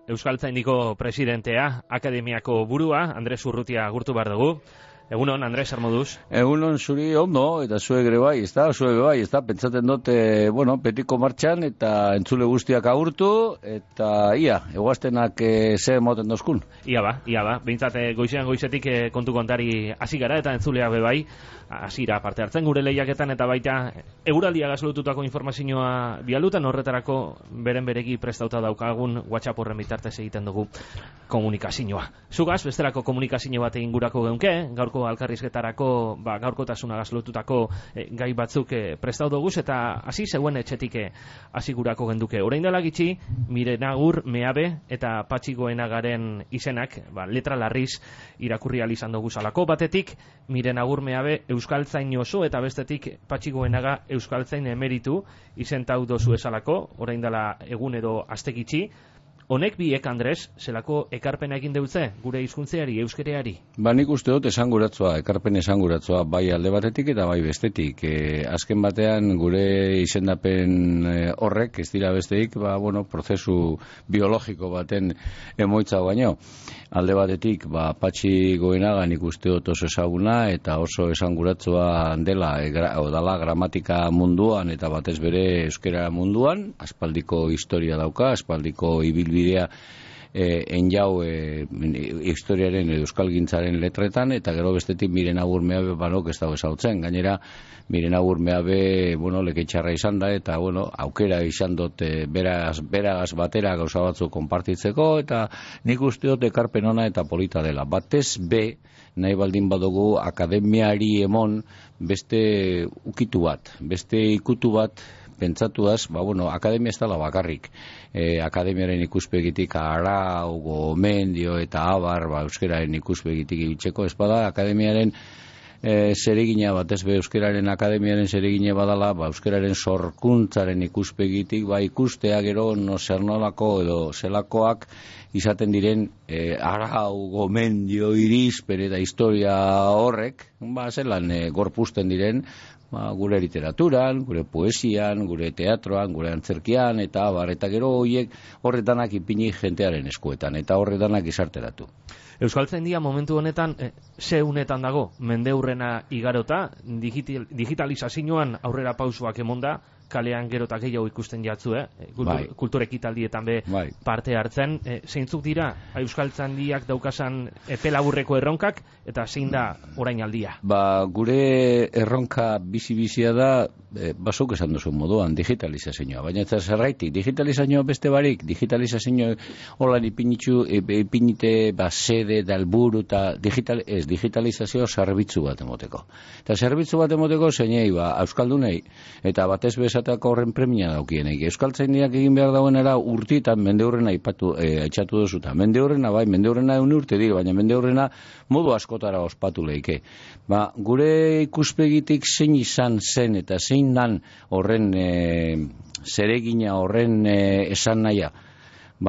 Euskaltzaindiko presidentea, akademiako burua, Andres Urrutia agurtu behar dugu. Egunon, Andres, armoduz? Egunon zuri ondo, eta zuek ere bai, pentsaten dut, betiko martxan, eta entzule guztiak agurtu, eta eguaztenak ze moten dozkun. Ia ba, behintzat goizean goizetik kontu kontari hasi gara, eta entzuleak bebai, hasira parte hartzen gure lehiaketan, eta baita eguraldia gazlotutako informazioa bialutan, horretarako beren beregi prestauta daukagun WhatsApp horren bitartez egiten dugu komunikazioa. Zugaz, bestelako komunikazio bat egin gurako geunke, gaurko alkarrizketarako gaurkotasuna gazlotutako gai batzuk prestau duguz, eta hasi zeuen etxetik hasi gurako genduke. Orain dela gitxi, Miren Agur, Meabe eta Patxi Goenagaren izenak, letra larriz irakurri izan dugu zalako. Batetik, Miren Agur, Meabe Euskaltzain oso, eta bestetik Patxi Goenaga Euskaltzain emeritu izentau dozu esalako, orain dela egun edo aste gitxi. Honek biek, Andres, zelako ekarpena egin deutze, gure hizkuntzeari, euskereari? Nik uste dut ekarpen esanguratzua, bai alde batetik eta bai bestetik. Azken batean gure izendapen horrek, ez dira besteik, prozesu biologiko baten emoitza baino. Alde batetik, Patxi Goenaga nik uste dut oso ezaguna eta oso esanguratzua dela gramatika munduan eta batez bere euskera munduan, aspaldiko historia dauka, aspaldiko ibilbidea enjau historiaren euskalgintzaren letretan, eta gero bestetik Miren Agur, Meabe banok ez dago ezautzen. Gainera, Miren Agur, Meabe leketxarra izan da, eta aukera izan dut beragaz batera gauza batzu konpartitzeko, eta nik uste dut ekarpen ona eta polita dela. Batez be, nahi baldin badugu akademiari emon beste ukitu bat, beste ikutu bat, pentsatuaz, akademia ez dela bakarrik. Akademiaren ikuspegitik arau, gomendio eta abar, euskeraren ikuspegitik ibitzeko espada, akademiaren zeregina batez be euskeraren akademiaren zeregina badala, euskeraren sorkuntzaren ikuspegitik, ikustea gero zer nolako edo zelakoak izaten diren arau, gomendio, irizpen eta historia horrek, zelan gorpusten diren, gure literaturan, gure poesian, gure teatroan, gure antzerkian, eta gero horiek horretanak ipini jentearen eskuetan, eta horretanak izarteratu. Euskaltzaindia momentu honetan, ze unetan dago, mendeurrena igarota, digitalizazioan aurrera pausuak emonda, kalean gero eta gehiago ikusten jatzu, kultur ekitaldietan parte hartzen. Zeintzuk dira Euskaltzaindiak daukasan epe laburreko erronkak, eta zein da orain aldia? Gure erronka bizi-bizia da, zuk esan duzu moduan, digitalizazioa. Baina ez zerraitik, digitalizazioa beste barik, digitalizazioa holan ipinite sede da helburu, eta digitalizazioa zerbitzu bat emoteko. Eta zerbitzu bat emoteko zeinei, euskaldunei, eta batez bezatako horren premia daukienei. Euskaltzaindiak egin behar dauenera urtietan mendeurrena aitzatu duzuta. Mendeurrena egun urte dira, baina mendeurrena modu askotara ospatu leike. Gure ikuspegitik zein izan zen eta zein dan horren zeregina, horren esan nahia.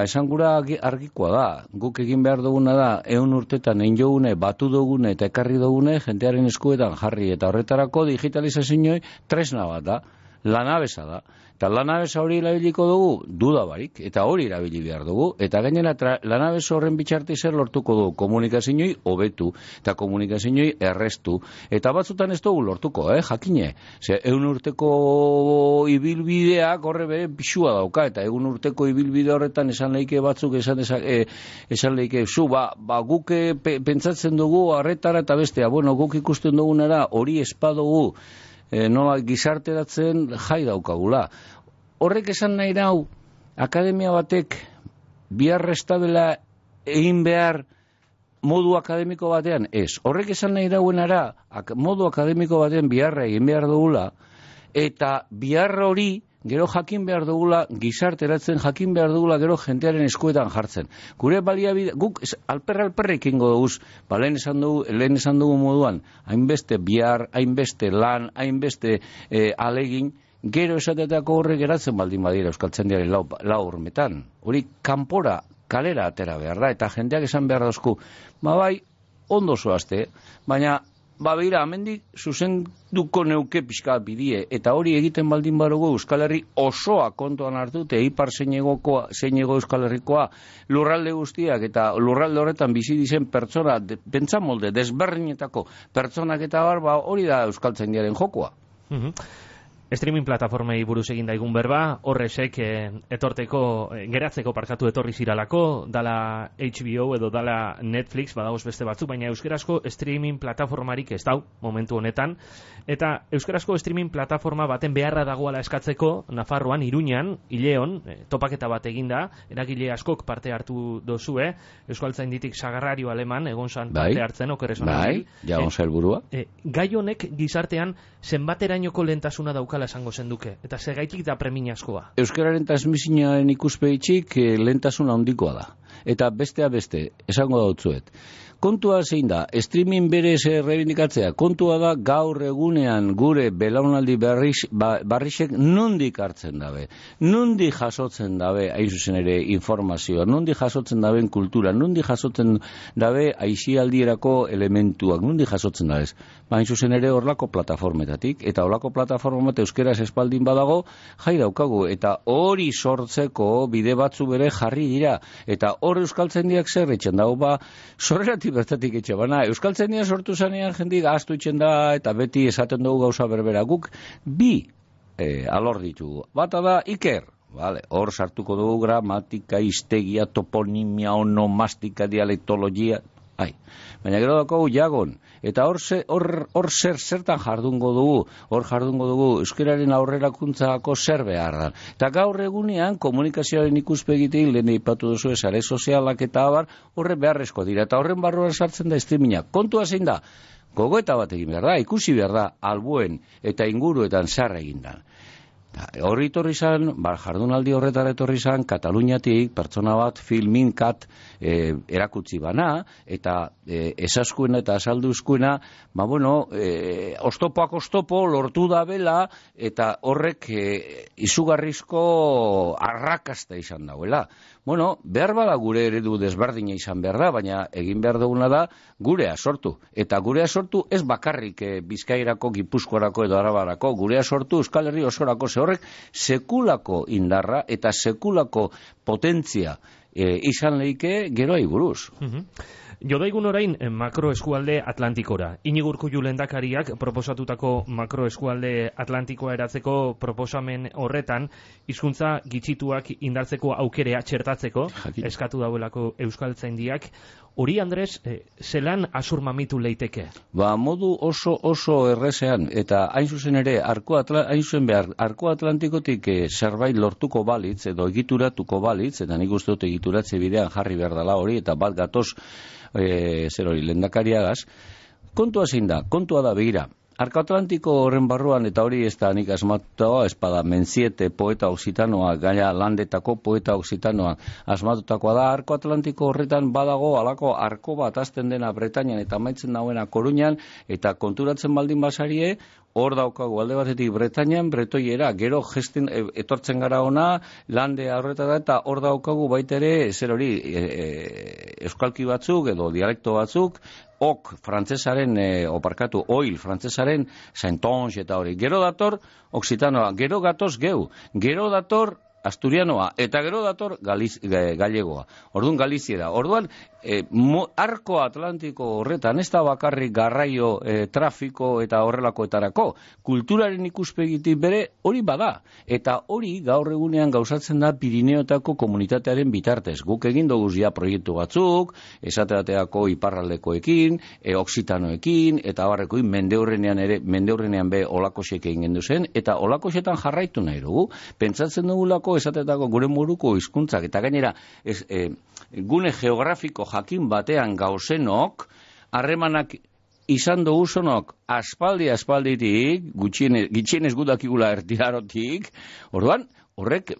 Esan gura argikoa da, guk egin behar duguna da, 100 urtetan egin jogune, batu dugune eta ekarri dugune, jentearen eskuetan jarri, eta horretarako digitalizazioa tresna bat da, lanabesa da. Eta lanabesa hori erabiliko dugu, duda barik, eta hori erabili behar dugu, eta gainera lanabesa horren bitxartez lortuko dugu, komunikazioa hobetu, eta komunikazioa errestu, eta batzutan ez dugu lortuko, jakine. 100 urteko ibilbideak horre bere pixua dauka, eta 100 urteko ibilbide horretan esan leike batzuk, esan leike, guk pentsatzen dugu arretara eta bestea, guk ikusten dugunara hori espadugu, nola gizarteratzen jai daukagula. Horrek esan nahi dau, akademia batek biharrestabela egin behar modu akademiko batean? Ez. Horrek esan nahi dauenara, modu akademiko batean biharra egin behar dugula, eta biharra hori gero jakin behar dugula gizarteratzen, jakin behar dugula gero jentearen eskuetan jartzen. Gure baliabide, guk alperrik ingo duguz, lehen esan dugu moduan, hainbeste bihar, hainbeste lan, hainbeste alegin, gero esatetako horre geratzen baldin badira Euskaltzaindiaren lau hormetan. Hori kanpora, kalera atera behar da, eta jendeak esan behar dauzku, ondo zoazte, baina begira, amendik zuzenduko neuke pixka bidie, eta hori egiten baldin badugu Euskal Herri osoa kontuan hartute, ipar zeinego Euskal Herrikoa, lurralde guztiak, eta lurralde horretan bizi dizen pertsona, pentsamolde, desberdinetako pertsonak eta hori da euskaltzaindiaren jokoa. Streaming plataformei buruz egin daigun berba, horrezek geratzeko parkatu etorri ziralako, dala HBO edo dala Netflix, badagoz beste batzuk, baina euskarazko streaming plataformarik ez dau momentu honetan, eta euskarazko streaming plataforma baten beharra dagoala eskatzeko, Nafarroan, Iruñan, Ileon, topaketa bat eginda, eragile askok parte hartu dozue, Euskaltzainditik Sagarrario Aleman, egon zan parte hartzen, okerrezon. Jagon zelburua. Gai honek gizartean zenbaterainoko lehentasuna daukala esango zenduke, eta segaitik da premiazkoa. Euskararen transmisioaren ikuspegitzik lehentasuna handikoa da. Eta bestea beste, esango dautzuet. Kontua zein da, streaming berez errebindikatzea, kontua da gaur egunean gure belaunaldi barrixek nondik hartzen dabe, nondik jasotzen dabe, hain zuzen ere informazioa, nondik jasotzen daben kultura, nondik jasotzen dabe aixialdierako elementuak, nondik jasotzen dabe. Hain zuzen ere horlako plataformetatik, eta horlako plataformat euskeraz espaldin badago, jai daukagu, eta hori sortzeko bide batzu bere jarri dira, eta hor euskaltzaindiak zer etxen dago, sorreratik bertatik etxe bana. Euskaltzaindia sortu zanean jendik ahaztu itxen da, eta beti esaten dugu gauza berbera. Guk bi alor ditugu. Bata da Iker. Hor sartuko dugu gramatika, hiztegia, toponimia, onomastika, dialektologia. Baina gero dago Jagon. Eta hor zertan jardungo dugu, euskararen aurrerakuntzako zer behar da. Eta gaur egunean komunikazioaren ikuspegitik, lehen eipatu duzu sare sozialak eta abar, horre beharrezko dira. Eta horren barruan sartzen da streaminga. Kontua zein da, gogoeta bat egin behar da, ikusi behar da, albuen eta inguruetan zer egin da. Horri etorri zan, jardunaldi horretara etorri zan, Kataluniatik pertsona bat filminkat erakutsi bana, eta esaskuena eta asalduzkuena, oztopoak oztopo lortu da bela, eta horrek izugarrizko arrakasta izan dauela. Behar bada gure eredu desberdina izan behar da, baina egin behar duguna da gurea sortu. Eta gurea sortu ez bakarrik Bizkairako, Gipuzkoarako edo Arabarako, gurea sortu Euskal Herri osorako, horrek sekulako indarra eta sekulako potentzia izan leike geroai buruz. Jodaigun orain makroeskualde Atlantikora. Iñigo Urkullu lehendakariak proposatutako makroeskualde Atlantikoa eratzeko proposamen horretan, hizkuntza gitxituak indartzeko aukerea txertatzeko, eskatu dauelako Euskaltzaindiak. Hori, Andres, zelan asurmamitu leiteke? Modu oso errezean, eta hain zuzen ere, arko Atlantikotik zerbait lortuko balitz, edo egituratuko balitz, eta nik uste dut egituratze bidean jarri behar dela hori, eta bat gatoz lehendakariagaz, kontua zein da, kontua da begira. Arko Atlantiko horren barruan, eta hori ez da nik asmatuta, espada Menziete poeta oksitanoa, gaina landetako poeta oksitanoa asmatutakoa da. Arko Atlantiko horretan badago alako arko bat azten dena Bretañan eta maitzen dauena Koruñan, eta konturatzen baldin basarie, hor daukagu alde batetik Bretañan, bretoiera, gero gesten etortzen gara ona, lande horretara, eta hor daukagu baitere, euskalki batzuk edo dialekto batzuk, frantzesaren, oil frantzesaren Saintonge eta hori. Gero dator oksitanoa, gero gatoz geu, gero dator asturianoa, eta gero dator gallegoa. Orduan Galiziera. Orduan, arko Atlantiko horretan, ez da bakarrik garraio, trafiko eta horrelakoetarako, kulturaren ikuspegitik bere hori bada. Eta hori gaur egunean gauzatzen da Pirineotako komunitatearen bitartez. Guk egin dugu ja proiektu batzuk, esateateako iparraldekoekin, oksitanoekin, eta barrekoin mendeurrenean be olakosek egin gendu zen, eta olakosetan jarraitu nahi dugu. Pentsatzen dugulako esateetako gure moruko hizkuntzak, eta gainera gune geografiko jakin batean gauzenok, harremanak izan duguzonok aspalditik, gutxienez gudakigula erdiarotik, orduan, horrek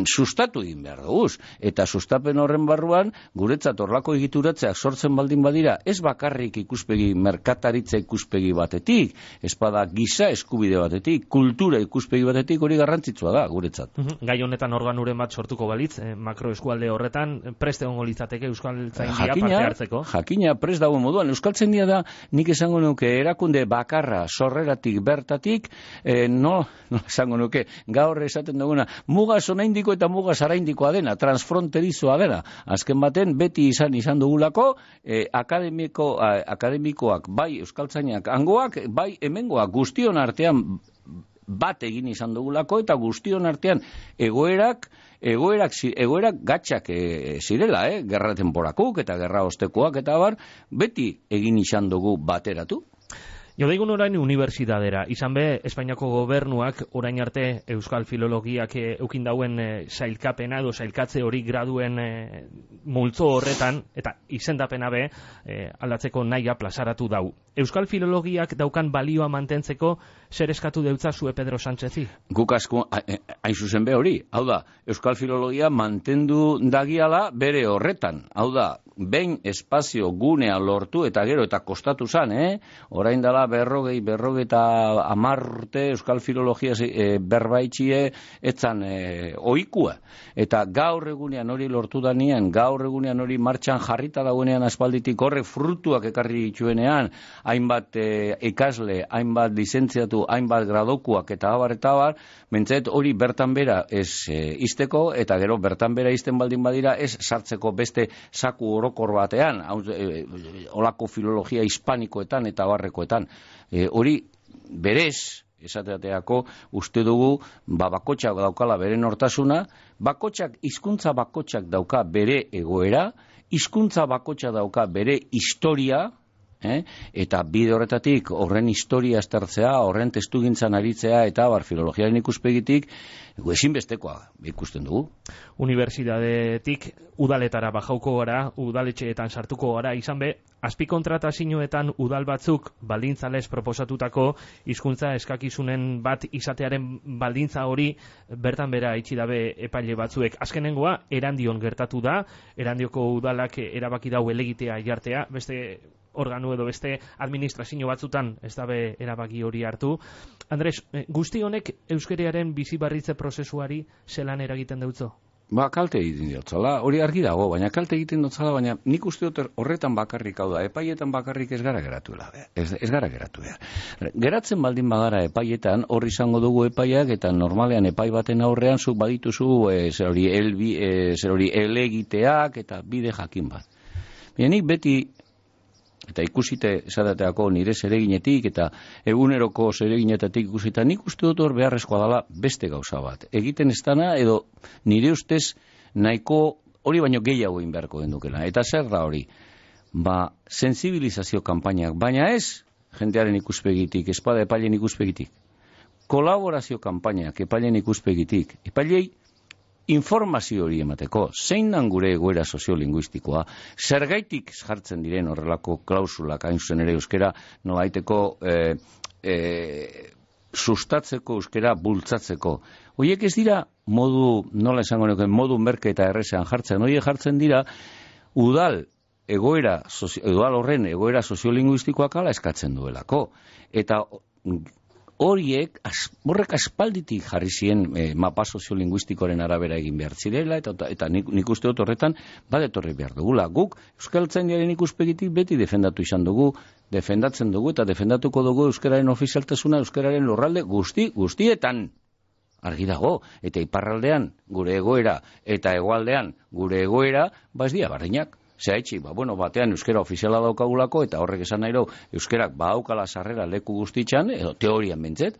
sustatu egin behar duguz. Eta sustapen horren barruan, guretzat horlako egituratzeak sortzen baldin badira, ez bakarrik ikuspegi merkataritza ikuspegi batetik, espada giza eskubide batetik, kultura ikuspegi batetik, hori garrantzitsua da guretzat. Gai honetan organuren bat sortuko balitz, makroeskualde horretan, prest egongo litzateke Euskaltzaindia parte hartzeko? Jakina, prest dago moduan. Euskaltzaindia da, nik esango nuke, erakunde bakarra, sorreratik, bertatik, no esango nuke, gaur esaten duguna, muga sonaindiko eta muga zaraindikoa dena, transfronterizoa dena. Azken baten, beti izan dugulako, akademikoak, bai euskaltzainak hangoak, bai hemengoak, guztion artean bat egin izan dugulako, eta guztion artean egoerak gatxak zirela, gerra temporakuk eta gerra ostekoak eta bar, beti egin izan dugu bateratu. Jodeigun orain unibertsitatera, izan be, Espainiako gobernuak orain arte Euskal Filologiak eukin dauen sailkapena edo sailkatze hori graduen multzo horretan, eta izendapena be, aldatzeko nahia plazaratu dau. Euskal Filologiak daukan balioa mantentzeko zer eskatu deutza zue Pedro Sánchezi? Guk asko, hain zuzen be hori, hau da, Euskal Filologia mantendu dagiala bere horretan, hau da, behin espazio gunea lortu eta gero eta kostatu zan, orain dela berrogeita 10 urte Euskal Filologia berbaitxie etzan ohikua. Eta gaur egunean hori lortu danean, gaur egunean hori martxan jarrita dagoenean aspalditik horrek frutuak ekarri dituenean, hainbat ikasle, hainbat lizentziatu, hainbat gradokuak eta abar, mentzet hori bertan bera ez izteko, eta gero bertan bera izten baldin badira ez sartzeko beste saku orokor batean, olako filologia hispanikoetan eta barrekoetan. Hori berez, esateateako, uste dugu, bakotxak daukala bere nortasuna, hizkuntza bakotxak dauka bere egoera, hizkuntza bakotxak dauka bere historia, eta bide horretatik horren historia aztertzea, horren testugintzan aritzea eta filologiaren ikuspegitik ezinbestekoa ikusten dugu. Unibertsitatetik udaletara bajauko gara, udaletxeetan sartuko gara, izan be, azpikontratazioetan udal batzuk baldintzalez proposatutako hizkuntza eskakizunen bat izatearen baldintza hori bertan bera itxi dabe epaile batzuek. Azkenengoa, Erandion gertatu da, Erandioko udalak erabaki dau elegitea jartea, beste organu edo beste administrazio batzutan ez dabe erabaki hori hartu. Andres, guzti honek euskerearen bizibarritze prozesuari zelan eragiten deutzo? Kalte egiten diotzala, hori argi dago, baina kalte egiten diotzala, baina nik uste dut horretan bakarrik hau da, epaietan bakarrik ez gara geratuela, ez gara geratu behar. Geratzen baldin bagara epaietan, hor izango dugu epaiak, eta normalean epai baten aurrean zuk badituzu zer hori elegiteak eta bide jakin bat. Baina nik beti, eta ikusite esadateako nire zereginetik eta eguneroko zereginetatik ikusita, nik uste dut hor beharrezkoa dela beste gauza bat. Egiten ez dana, edo nire ustez nahiko hori baino gehiago egin beharko gendukela. Eta zer da hori? Sensibilizazio kanpainak, baina ez jendearen ikuspegitik, espada epailen ikuspegitik. Kolaborazio kanpainak epailen ikuspegitik. Epailei informazio hori emateko, zein dan gure egoera soziolinguistikoa, zergaitik jartzen diren horrelako klausulak hain zuzen ere euskera nolaiteko sustatzeko euskera bultzatzeko. Horiek ez dira modu, nola esango nuke, modu merke eta errezean jartzen, horiek jartzen dira udal horren egoera soziolinguistikoak ala eskatzen duelako. Eta horrek aspalditik jarri ziren mapa soziolinguistikoaren arabera egin behar zirela, eta nik uste dut horretan badetorri behar dugula. Guk Euskaltzaindiaren ikuspegitik beti defendatzen dugu eta defendatuko dugu euskararen ofizialtasuna, euskararen lurralde guztietan. Argi dago, eta iparraldean gure egoera eta hegoaldean gure egoera, ez dira barrinak. Zehaitxi, batean euskera ofiziala daukagulako, eta horrek esan nahi euskerak badaukala sarrera leku guztitxan, edo teorian bentzet,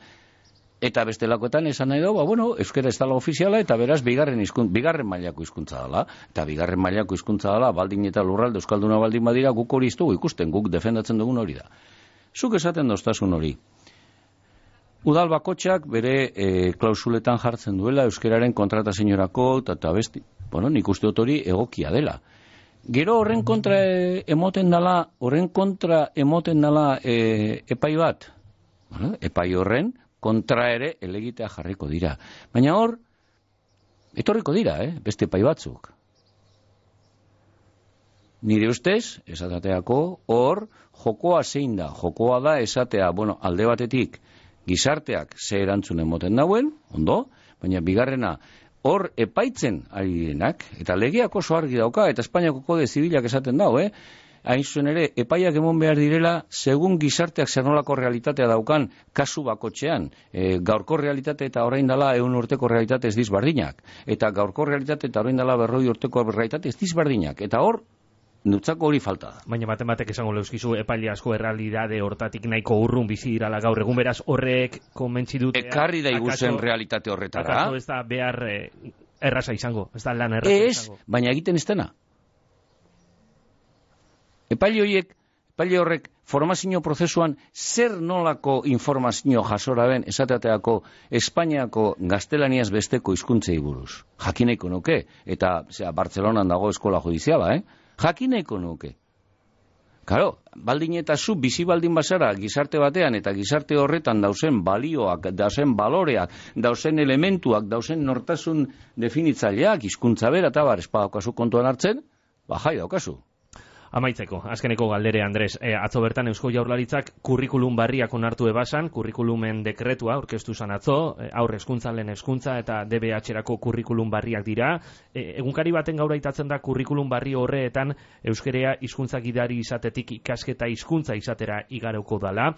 eta bestelakoetan esan nahi euskera ez dela ofiziala, eta beraz bigarren mailako hizkuntza dela, eta bigarren mailako hizkuntza dela, baldin eta lurralde euskalduna baldin badira, guk hori ez dugu ikusten, guk defendatzen dugun hori da. Zuk esaten doztasun hori. Udal bakotxak bere klausuletan jartzen duela euskeraren kontratazioarako, eta besti, nik uste dut hori egokia dela. Gero horren kontra emoten dala epai bat. Epai horren kontra ere elegitea jarriko dira. Baina hor, Etorriko dira, beste epai batzuk. Nire ustez, esateako, hor, jokoa zein da. Jokoa da esatea, alde batetik, gizarteak ze erantzunen moten dauen, ondo, baina bigarrena, hor epaitzen ari direnak, eta legeak oso argi dauka, eta Espainiako kode zibilak esaten dau, hain zuen ere, epaiak emon behar direla, segun gizarteak zer nolako realitatea daukan, kasu bakotxean, gaurko realitate eta orain dela 100 urteko realitate ez dizbardinak, eta gaurko realitate eta orain dela 100 urteko realitate ez dizbardinak, eta hor, nutzako hori falta da. Baina batek esango leuskizu epaile asko errealidade hortatik nahiko urrun bizi dirala gaur egun, beraz horrek konbentzi dute. Ekarri da iguzen realitate horretara. Akaso ez da behar erraza izango, ez da lan erraza izango. Baina egiten ez dena. Epaile horrek formazio prozesuan zer nolako informazio jasora ben esateateako Espainiako gaztelaniaz besteko hizkuntzei buruz. Jakineko nuke, eta Bartzelonan dago eskola judiziala, jakineko nuke. Karo, baldin eta zu bizi baldin bazara gizarte batean eta gizarte horretan dauzen balioak, dauzen baloreak, dauzen elementuak, dauzen nortasun definitzaileak, hizkuntza bera eta espadaukazu kontuan hartzen, jai daukazu. Amaitzeko, azkeneko galdere, Andres, atzo bertan Eusko Jaurlaritzak kurrikulum barriak onartu ebasan, kurrikulumen dekretua aurkeztu zan atzo, aurre hezkuntza, lehen hezkuntza eta DBH-erako kurrikulum barriak dira. Egunkari baten gaur aitatzen da kurrikulum barri horreetan euskerea hizkuntza gidari izatetik ikasketa hizkuntza izatera igaroko dala.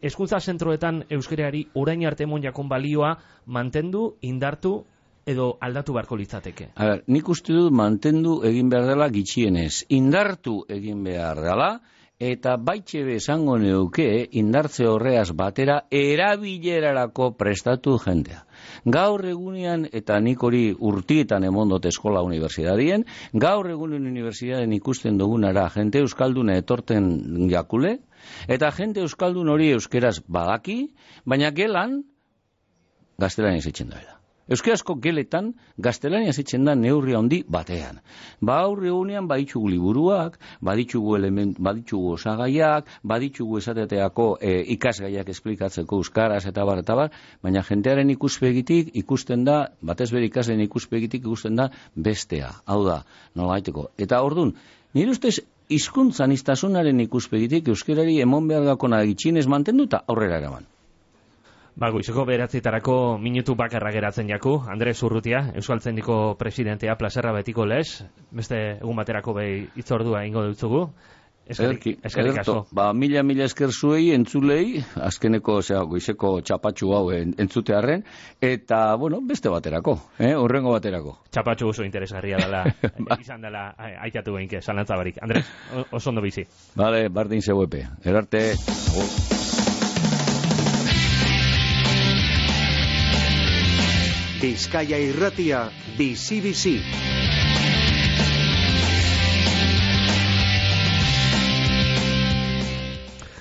Hezkuntza zentroetan euskereari orain arte emon jakon balioa mantendu, indartu edo aldatu beharko litzateke? Nik uste dut mantendu egin behar dela gitxienez. Indartu egin behar dela, eta baitxebe esango neuke indartze horreaz batera erabilerarako prestatu jendea. Gaur egunean, eta nik hori urtietan emondot eskola unibertsitatien, gaur egunen unibertsitaten ikusten dugunara jente euskalduna etorten jakule, eta jente euskaldun hori euskeraz badaki, baina gelan gaztelaniaz etxen daela. Euskarazko geletan gaztelaniaz etxen da neurri handi batean. Aurre egunean baditzugu liburuak, baditzugu osagaiak, baditzugu esateteako ikasgaiak esplikatzeko euskaraz eta bar, baina jentearen ikuspegitik ikusten da, batez bere ikasleen ikuspegitik ikusten da bestea. Hau da, nolabaiteko. Eta ordun, nire ustez hizkuntzan iztasunaren ikuspegitik euskerari emon behar gakona gitxinez mantendu eta aurrera eraman. Goizeko 9:00 minutu bakarra geratzen jaku. Andres Urrutia, Euskaltzaindiko presidentea, plazerra betiko lez. Beste egun baterako behi itzordua ingo dutzugu. Eskerrik asko. Mila esker zuei, entzulei, azkeneko goizeko txapatxu hau entzutearren, eta, beste baterako, horrengo baterako. Txapatxu oso interesgarria dela, izan dela, aikatu behinke, zalantzabarik. Andres, oso ondo bizi. Bale, bardin zeuepe. Erarte. Bizkaia Irratia, bizi-bizi.